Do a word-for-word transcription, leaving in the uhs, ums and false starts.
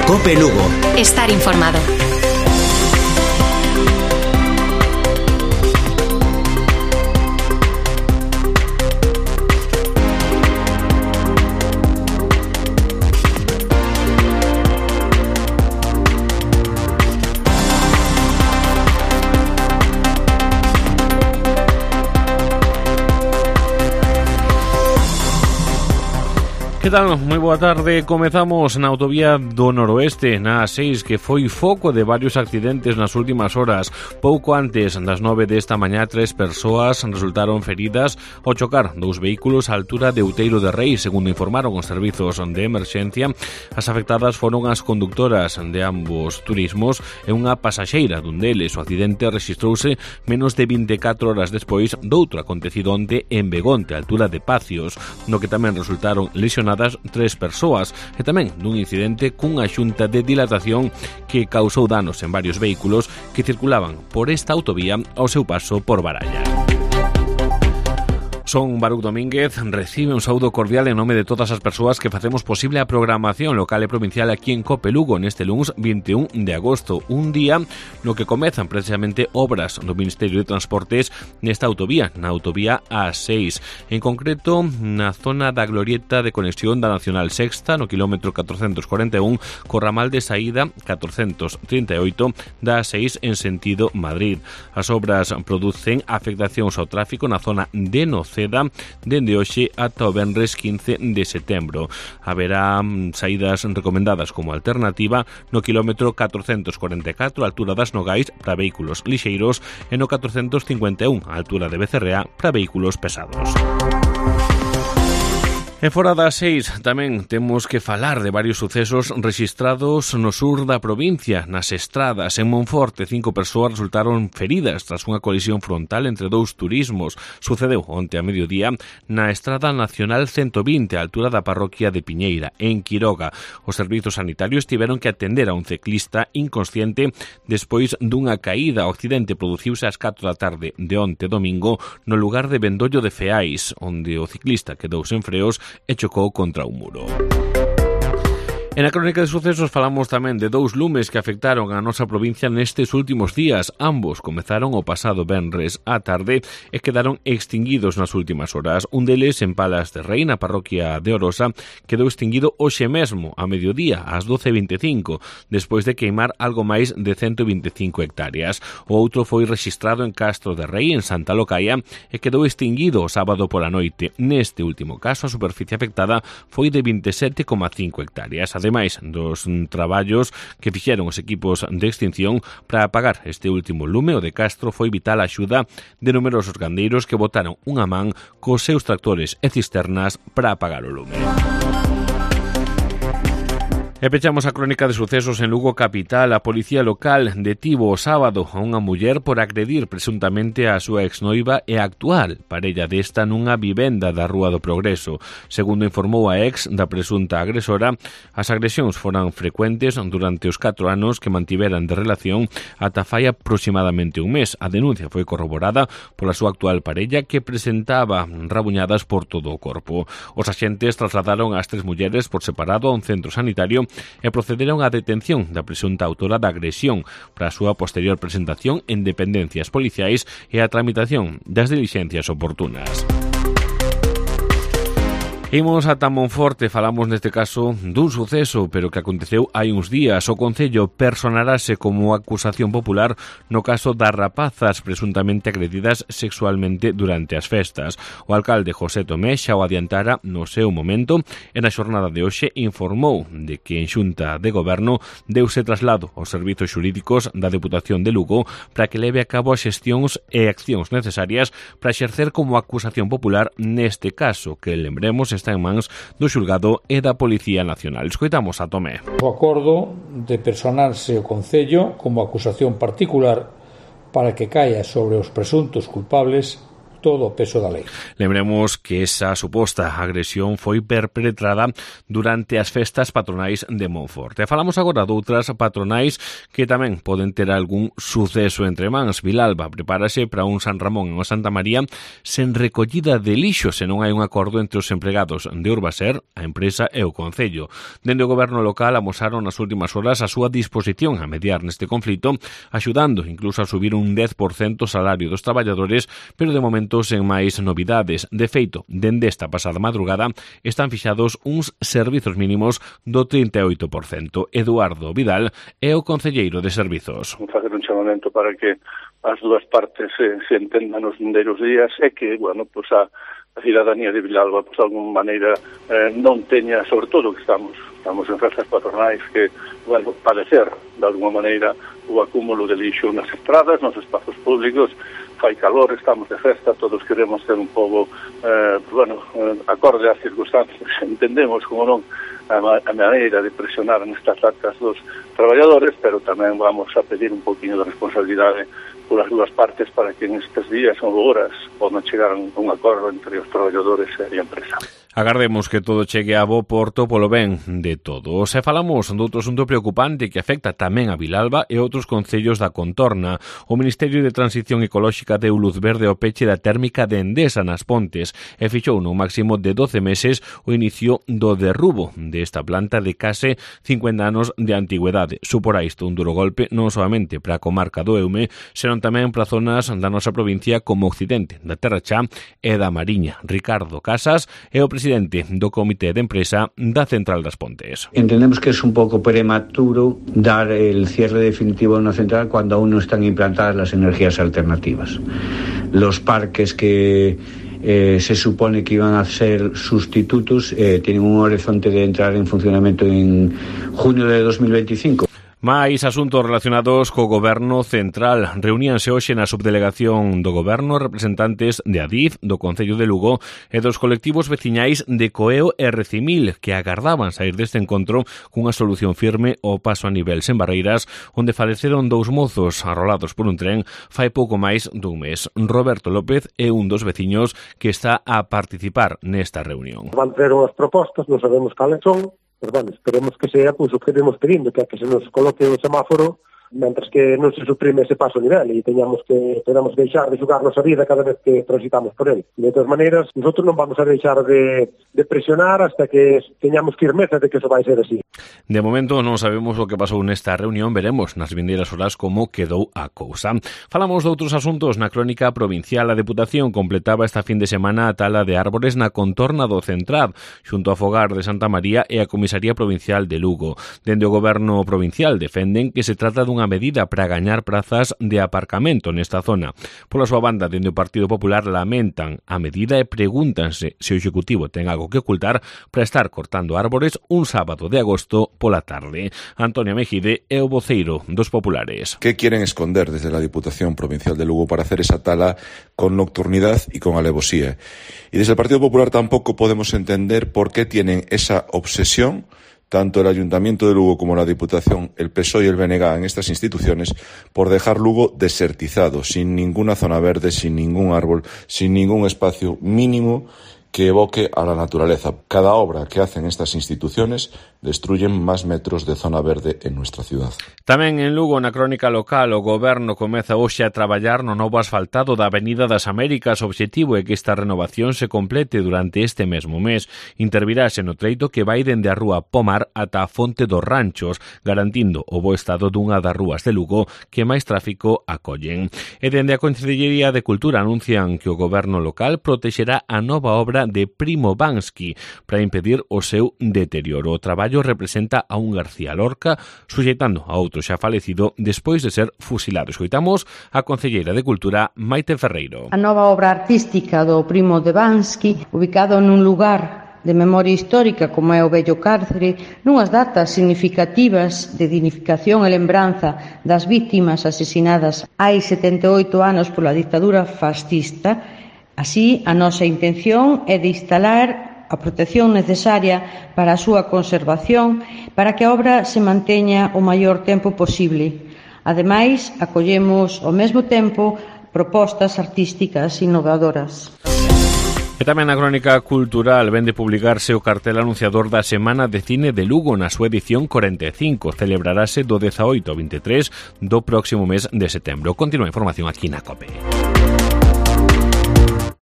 COPE Lugo. Estar informado. Que tal? Moi boa tarde. Comezamos na autovía do Noroeste, na A seis, que foi foco de varios accidentes nas últimas horas. Pouco antes das nove desta mañá, tres persoas resultaron feridas ao chocar dous vehículos á altura de Outeiro de Rei, segundo informaron os servizos de emerxencia. As afectadas foron as conductoras de ambos turismos e unha pasaxeira dun deles. O accidente rexistrouse menos de vinte e catro horas despois doutro acontecido onte en Begonte, á altura de Pacios, no que tamén resultaron lesionadas tres persoas, e tamén dun incidente cunha xunta de dilatación que causou danos en varios vehículos que circulaban por esta autovía ao seu paso por Baralla. Son Baruch Domínguez, recibe un saúdo cordial en nome de todas as persoas que facemos posible a programación local e provincial aquí en COPE Lugo neste luns vinte e un de agosto, un día no que comezan precisamente obras do Ministerio de Transportes nesta autovía, na autovía A seis, en concreto na zona da glorieta de conexión da Nacional Sexta no quilómetro catrocentos corenta e un co ramal de saída catrocentos trinta e oito da A seis en sentido Madrid. As obras producen afectacións ao tráfico na zona de Noceda dende hoxe ata o venres quince de setembro. Haberá saídas recomendadas como alternativa no quilómetro catrocentos corenta e catro, a altura das Nogais, para vehículos lixeiros, e no catrocentos cincuenta e un, a altura de Becerrea, para vehículos pesados. E fora das seis tamén temos que falar de varios sucesos rexistrados no sur da provincia, nas estradas. En Monforte, cinco persoas resultaron feridas tras unha colisión frontal entre dous turismos. Sucedeu onte a mediodía na Estrada Nacional ciento vinte, a altura da parroquia de Piñeira, en Quiroga. Os servizos sanitarios tiveron que atender a un ciclista inconsciente despois dunha caída. O accidente produciuse ás catro da tarde de onte domingo no lugar de Vendollo de Feais, onde o ciclista quedou sen freos e chocou contra un muro. En a crónica de sucesos falamos tamén de dous lumes que afectaron a nosa provincia nestes últimos días. Ambos comezaron o pasado venres á tarde e quedaron extinguidos nas últimas horas. Un deles en Palas de Rei, na parroquia de Orosa, quedou extinguido hoxe mesmo, a mediodía, ás doce e vinte e cinco, despois de queimar algo máis de cento vinte e cinco hectáreas. O outro foi rexistrado en Castro de Rei, en Santa Locaia, e quedou extinguido o sábado pola noite. Neste último caso, a superficie afectada foi de vinte e sete coma cinco hectáreas. Ademais dos traballos que fixeron os equipos de extinción para apagar este último lume, o de Castro foi vital a axuda de numerosos gandeiros que botaron unha man cos seus tractores e cisternas para apagar o lume. E pechamos a crónica de sucesos en Lugo capital. A policía local detivo o sábado a unha muller por agredir presuntamente a súa exnoiva e actual parella desta nunha vivenda da Rúa do Progreso. Segundo informou a ex da presunta agresora, as agresións foran frecuentes durante os catro anos que mantiveran de relación ata fai aproximadamente un mes. A denuncia foi corroborada pola súa actual parella, que presentaba rabuñadas por todo o corpo. Os axentes trasladaron as tres mulleres por separado a un centro sanitario e procederon á detención da presunta autora da agresión para a súa posterior presentación en dependencias policiais e a tramitación das dilixencias oportunas. Imos ata Monforte, falamos neste caso dun suceso, pero que aconteceu hai uns días. O Concello personarase como acusación popular no caso das rapazas presuntamente agredidas sexualmente durante as festas. O alcalde José Tomé xa o adiantara no seu momento e na xornada de hoxe informou de que en Xunta de Goberno deuse traslado aos servizos xurídicos da Deputación de Lugo para que leve a cabo as xestións e accións necesarias para exercer como acusación popular neste caso, que lembremos está en mans do xulgado e da Policía Nacional. Escoitamos a Tomé. O acordo de personarse o Concello como acusación particular para que caia sobre os presuntos culpables todo o peso da lei. Lembremos que esa suposta agresión foi perpetrada durante as festas patronais de Monforte. Falamos agora doutras patronais que tamén poden ter algún suceso entre mans. Vilalba prepárase para un San Ramón e unha Santa María sen recollida de lixo se non hai un acordo entre os empregados de Urbaser, a empresa e o Concello. Dende o goberno local amosaron nas últimas horas a súa disposición a mediar neste conflito, axudando incluso a subir un dez por cento o salario dos traballadores, pero de momento sen máis novidades. De feito, dende esta pasada madrugada están fixados uns servizos mínimos do trinta e oito por cento. Eduardo Vidal é o concelleiro de servizos. Facer un chamamento para que as dúas partes se, se entendan nos vindeiros días e que, bueno, pues a a cidadanía de Vilalba, pues de alguma maneira eh, non teña, sobre todo que estamos estamos en festas patronais, que, bueno, padecer de alguma maneira o acúmulo de lixo nas estradas, nos espazos públicos. Fai calor, estamos de festa, todos queremos ter un pouco, eh, bueno, eh, acorde ás circunstancias, entendemos como non a, a maneira de presionar nestas actas dos traballadores, pero tamén vamos a pedir un poquinho de responsabilidade polas dúas partes para que en estes días ou horas podan chegar a un acordo entre os traballadores e a empresa. Agardemos que todo chegue a bo porto polo ben de todos. E falamos doutro asunto preocupante que afecta tamén a Vilalba e outros concellos da contorna. O Ministerio de Transición Ecolóxica deu luz verde ao peche da térmica de Endesa nas Pontes e fixou nun máximo de doce meses o inicio do derrubo desta planta de case cincuenta anos de antigüedade. Suporá isto un duro golpe non solamente para a comarca do Eume, senón tamén para zonas da nosa provincia como Occidente, da Terra Chá e da Mariña. Ricardo Casas é o presidente presidente do Comité de Empresa da Central das Pontes. Entendemos que es un poco prematuro dar el cierre definitivo de una central cuando aún no están implantadas las energías alternativas. Los parques que eh, se supone que iban a ser sustitutos eh, tienen un horizonte de entrar en funcionamiento en junio de dos mil veinticinco. Mais asuntos relacionados co Goberno Central. Reuníanse hoxe na subdelegación do Goberno representantes de Adif, do Concello de Lugo e dos colectivos veciñais de Coeo e Recimil, que agardaban sair deste encontro cunha solución firme ao paso a nivel sen barreiras, onde faleceron dous mozos arrolados por un tren fai pouco máis dun mes. Roberto López é un dos veciños que está a participar nesta reunión. Van ter unhas propostas, non sabemos cales son, pero bueno, esperemos que sea pues, o que estemos pedindo, que, que se nos coloque o semáforo mentras que non se suprime ese paso a nivel e teñamos que podamos deixar de xogar nosa vida cada vez que transitamos por ele. De todas maneiras, nosotros non vamos a deixar de, de presionar hasta que teñamos firmeza de que eso vai ser así. De momento non sabemos o que pasou nesta reunión, veremos nas vindeiras horas como quedou a cousa. Falamos de outros asuntos na crónica provincial. A Deputación completaba esta fin de semana a tala de árbores na contorna do Centrad, xunto a Fogar de Santa María e a Comisaría Provincial de Lugo. Dende o Goberno Provincial defenden que se trata dun unha medida para gañar prazas de aparcamento nesta zona. Pola súa banda, dende o Partido Popular lamentan a medida e pregúntanse se o Executivo ten algo que ocultar para estar cortando árbores un sábado de agosto pola tarde. Antonio Mejide é o voceiro dos populares. ¿Qué quieren esconder desde la Diputación Provincial de Lugo para hacer esa tala con nocturnidad y con alevosía? Y desde el Partido Popular tampoco podemos entender por qué tienen esa obsesión tanto el Ayuntamiento de Lugo como la Diputación, el P S O E y el B N G en estas instituciones, por dejar Lugo desertizado, sin ninguna zona verde, sin ningún árbol, sin ningún espacio mínimo que evoque a la naturaleza. Cada obra que hacen estas instituciones destruyen máis metros de zona verde en nuestra ciudad. Tamén en Lugo, na crónica local, o Goberno comeza hoxe a traballar no novo asfaltado da Avenida das Américas. O obxectivo é que esta renovación se complete durante este mesmo mes. Intervirase no treito que vai dende a rúa Pomar ata a Fonte dos Ranchos, garantindo o bo estado dunha das rúas de Lugo que máis tráfico acollen. E dende a Consellería de Cultura anuncian que o Goberno local protexerá a nova obra de Primo Bansky para impedir o seu deterioro. O traballo representa a un García Lorca suxeitando a outro xa falecido despois de ser fusilado. Escoitamos a concelleira de Cultura Maite Ferreiro. A nova obra artística do Primo de Bansky, ubicado nun lugar de memoria histórica como é o vello cárcere, nunhas datas significativas de dignificación e lembranza das vítimas asesinadas hai setenta e oito anos pola dictadura fascista. Así, a nosa intención é de instalar a protección necesaria para a súa conservación para que a obra se manteña o maior tempo posible. Ademais, acollemos ao mesmo tempo propostas artísticas innovadoras. E tamén na crónica cultural vén de publicarse o cartel anunciador da Semana de Cine de Lugo na súa edición cuarenta e cinco. Celebrarase do dezaoito ao veintitrés do próximo mes de setembro. Continúa a información aquí na COPE.